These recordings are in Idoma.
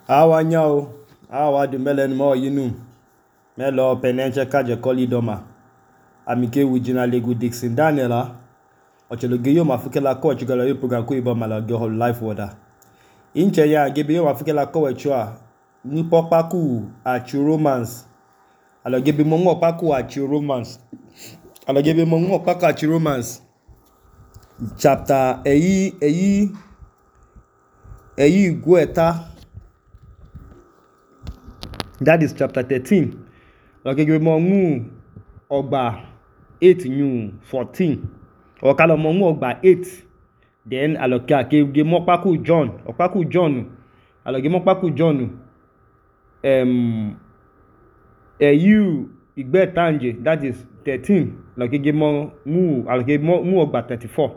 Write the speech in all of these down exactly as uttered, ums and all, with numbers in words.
Awa nyao, awa du mele nmo yinu. Melo penenche kaje koli doma. Amike wijina legu Dixon Daniela. Ocheloge yo mafuke la ko chigala yo program ko iba malaga ho life water. Inche ya gebe yo mafuke la ko wechua. Ni popaku achu romance. Alo gebe mo ngo paku achu romance. Alo gebe mo ngo paku achu romance. Chapter eyi eyi eyi gueta. That is chapter thirteen. Like give mo ngu ogba eight new fourteen. Or kalo mo ngu ogba eight. Then alokia ke give mo paku John. Opaku John. Alo give mo paku John. Um eh you igbe tanje. That is thirteen. Like give mo ngu alo give mo ngu ogba thirty-four.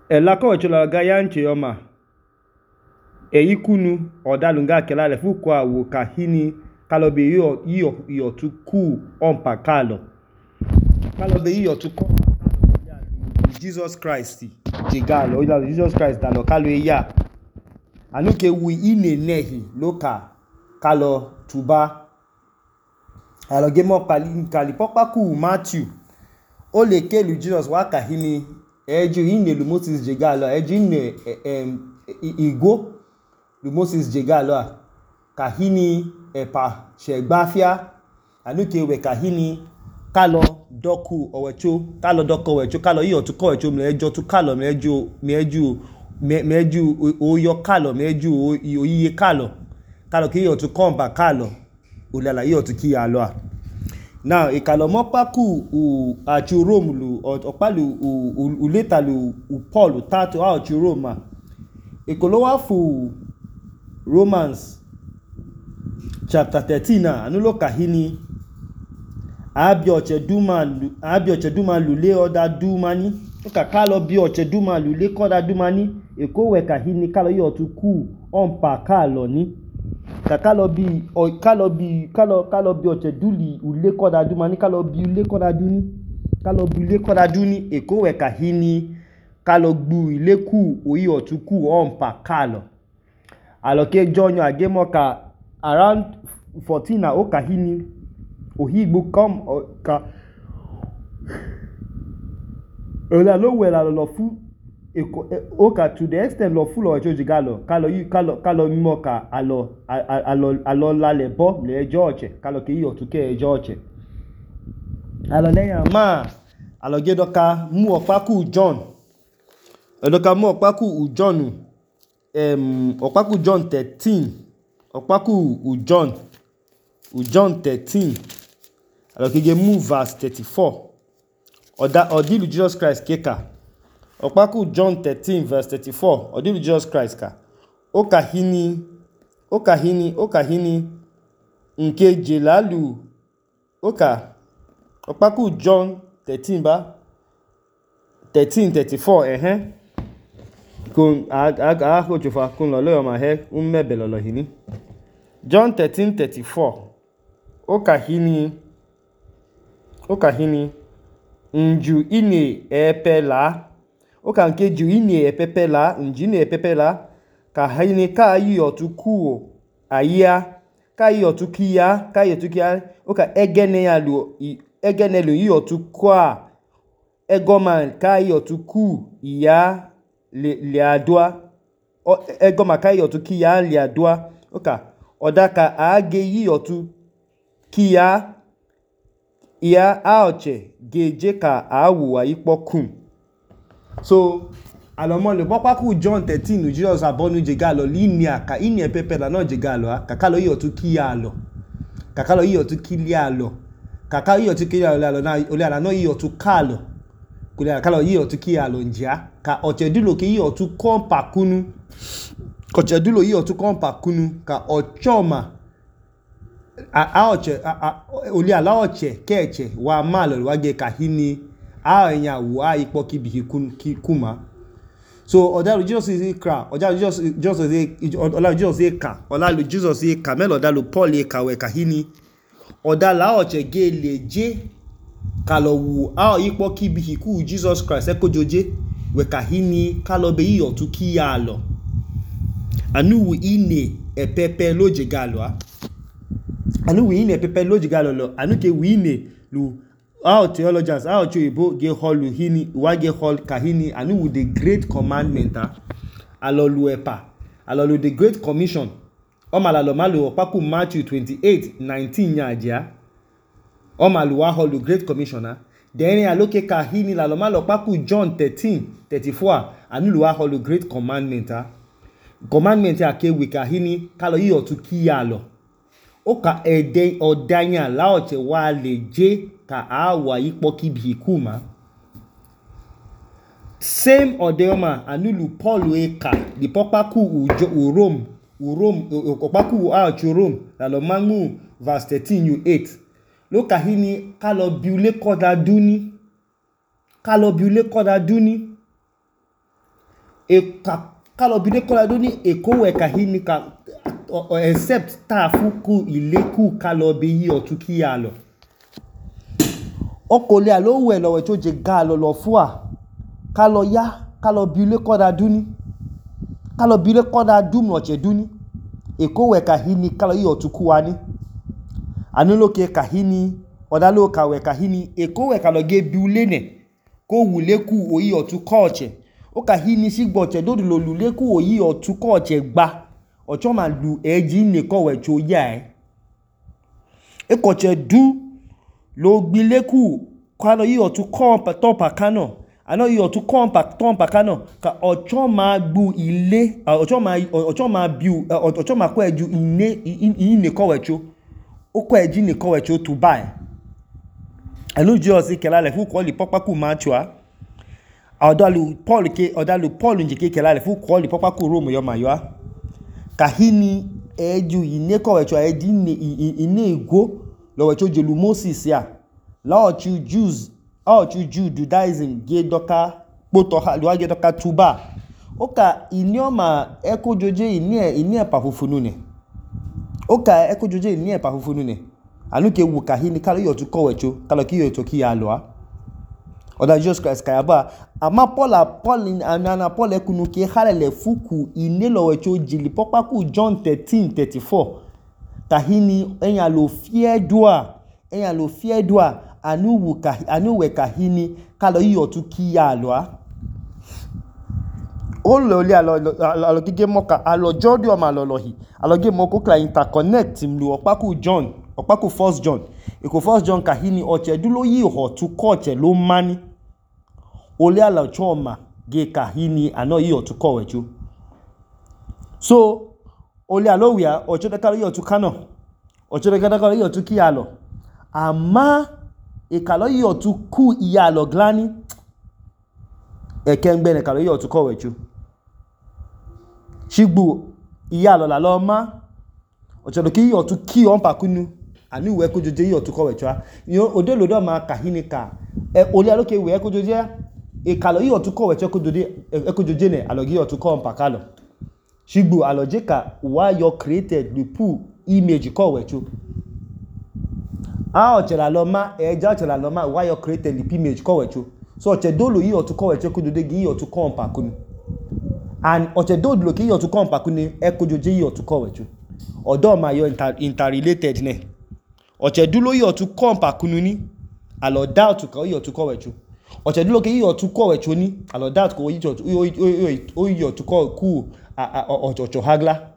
E la ko chola ga yanche yoma. Eikunu odalunga kelale fukwa wo kahini kalobe yo yo yo tuku ompa kalo kalobe yo tuku Jesus Christ jigalo ila Jesus Christ dalo kalo ya anuke wi ine nehi loka kalo tuba alo gemo pali kali popaku Matthew o le kelu Jesus wa kahini eju ine lu Moses jigalo eju ine em igo lu Moses jegalo kahini epa shegbafia anuke we kahini kalo doku owecho kalo doko owecho kalo iyo tu ko owecho mlejo tu kalo mlejo meju meju oyo kalo meju oyiye kalo kalo ki iyo tu komba kalo ulala iyo tu ki alo now ikalo mo paku u achu Rome lu opalu u later lu u Paul tatu achu Roma ikolowa fu Romans chapter thirteen na anulo kahini abi oche duma abi oche duma lule oda dumani ka kalo bi oche duma lule koda dumani eko we kahini kalo yo tuku onpa kalo ni ka kalo bi o kalo bi kalo kalo bi oche duli ule koda dumani kalo bi ule koda duni kalo bi ule koda duni eko we kahini kalo gbu ile ku oyi otuku onpa kalo aloke jonyo agemo ka around fourteen na okahini ohigbo come ka ola lo we la lo fu oka to the extent lo fu lo joji galo kalo yi kalo kalo mimo ka alo alo alo la le bo le George kalo ke yi otuke George alo leyan ma alo gedoka mu opaku John edoka mu opaku John um opaku John thirteen opaku u John u John thirteen alors que move verse thirty-four oda odilu Jesus Christ keka opaku John thirteen verse thirty-four odilu Jesus Christ ka okahini okahini okahini nke jelalu oka opaku John thirteen ba thirteen thirty-four eh eh kun aga ho jofa kun lo lo ma he un mebelo lo hini John thirteen thirty-four okahini okahini nju ine epela okanke ju ine epepela njine epepela ka hini ka yi otuku aya ka yi otukia ka yi otukia oka egene ya lu egene lu yi otukwa egoman ka yi otuku iya le le adwa ego makai otu kiya le adwa oka odaka age yi otu kiya ya aoche geje ka awu ayipokun so alomo le popaku John thirteen Jesus abonu jegalo linia ka ini epepe la no jegalo kakalo yi otu kiya lo kakalo yi otu kilia lo kakalo yi otu kilia lo na ole ala no yi otu kalo kule kalo yi otu kiya lo njia ka ochedulo ke yi otu kompa kunu ochedulo yi otu kompa kunu ka ochoma a a oche oli ala oche keche wa malo wa ge kahini a enya wa ipo kibi kuma so odalu Jesus is kra odalu Jesus Jesus is odalu Jesus is ka odalu Jesus is ka melo odalu Paul e ka we kahini odala oche ge leje kalo wu a ipo kibi hiku Jesus Christ ekojoje we kahini kalo be yi otu kiya lo anu wu ine epepe loje galo anu wu ine epepe loje galo lo anu ke wu ine lu our theologians our choibo ge holu hini wa ge hol kahini anu wu the great commandment ah alolu epa alolu the great commission o malalo malu opaku Matthew twenty-eight nineteen ya aja o malu wa holu great commissioner then aloke kahini lalo malo opaku John thirteen thirty-four anu lu wa holu great commandment ah commandment ya ke wi kahini kalo yi otu kiyalo o ka ede odanya la oche wa leje ka awa ipo kibi kuma same odeoma anulu Paul eka di popaku ujo u Rome u Rome opaku a chu Rome la lo mangu verse thirteen you eight lo kahini kalo biule koda duni kalo biule koda duni e ka kalo biule koda duni e ko we kahini ka except ta fuku ileku kalo bi yi otuki alo okole alo we lo we to je galo lo fua kalo ya kalo biule koda duni kalo biule koda dum no che duni e ko we kahini kalo yi otuku wani anulo ke kahini odalo ka we kahini e ko we kalo ge biule ne ko wuleku oyi otuko oche o kahini sigbo che do lo luleku oyi otuko oche gba ocho ma lu eji ne ko we cho ya e e ko che du lo gbileku kalo yi otuko pa to pa kano ano yi otuko pa to pa kano ka ocho ma gbu ile ocho ma ocho ma biu ocho ma ko eju ine ine ko we cho o ko eji ne ko we cho to buy anu Jesus kela le fu ko li popaku Matthew odalu Paul ke odalu Paul njike kela le fu ko li popaku Rome yo mayo kahini eju ine ko we cho eji ne ine ego lo we cho jelu Moses ya la o chu Jews o chu Judaism ge doka poto ha lo ge doka tuba oka inioma ekojoje ini ini pa fufunu ne oka ekojoje ini pa fufunu ne anu ke wu kahini kalo yo tu ko we cho kalo ki yo to ki ya lo oda Jesus Christ kayaba ama Paul Paul ana Paul ekunu ke halele fuku ine lo we cho jili popaku John thirteen thirty-four kahini enya lo fie dua enya lo fie dua anu wu ka anu we kahini kalo yi otu ki ya lo o lo le alo alo gige moka alo jodi o ma lo lohi alo ge moko kla interconnect mlu opaku John opaku first John iko first John kahini oche dulo yi ho tu ko che lo mani ole ala choma ge kahini ano yi otu ko wechu so ole alo wia oche de kalo yi otu kano oche de kalo yi otu ki alo ama e kalo yi otu ku iya lo glani e kengbe ne kalo yi otu ko wechu shigbu iya lo la lo ma oche do ki yi otu ki on pakunu ani we ko joje yi otu ko wechu yo odelo do ma kahini ka e ole alo ke we ko joje e kalo yi otu ko wechu ko dode e ko joje ne alo gi otu ko on pakalo shigbu aloje ka why you created the pool image ko wechu a oche la lo ma e ja oche la lo ma why you created the image ko wechu so oche dolo yi otu ko wechu ko dode gi yi otu ko on pakunu and oche dolo ki yi otu ko on pakunu e ko joje yi otu ko wechu odo ma yo inter, interrelated ne oche dulo yi otu ko on pakunu ni alo doubt ko yi otu ko wechu oche dulo ki yi otu ko wechu ni alo doubt ko yi otu o yi otu ko ku ocho hagla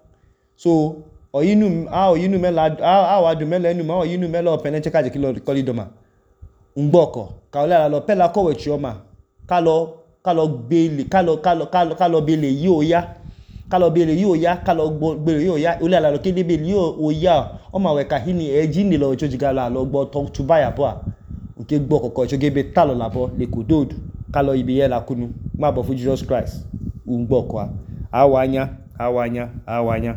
so oyinu a oyinu mela a wa du mela enu ma oyinu mela openeche ka je kilo kolidoma ngboko ka ola lo pela ko wechu oma ka lo ka lo gbele ka lo ka lo ka lo bele yi oya ka lo bele yi oya ka lo gbele yi oya ola lo kede bele yi oya o ma we kahini eji ni lo chojigala lo gbo to tubaya bo nke gbo kokko chogebe talo labo le kododu ka lo ibi ye la kunu ma bo fu Jesus Christ ngboko awanya awanya awanya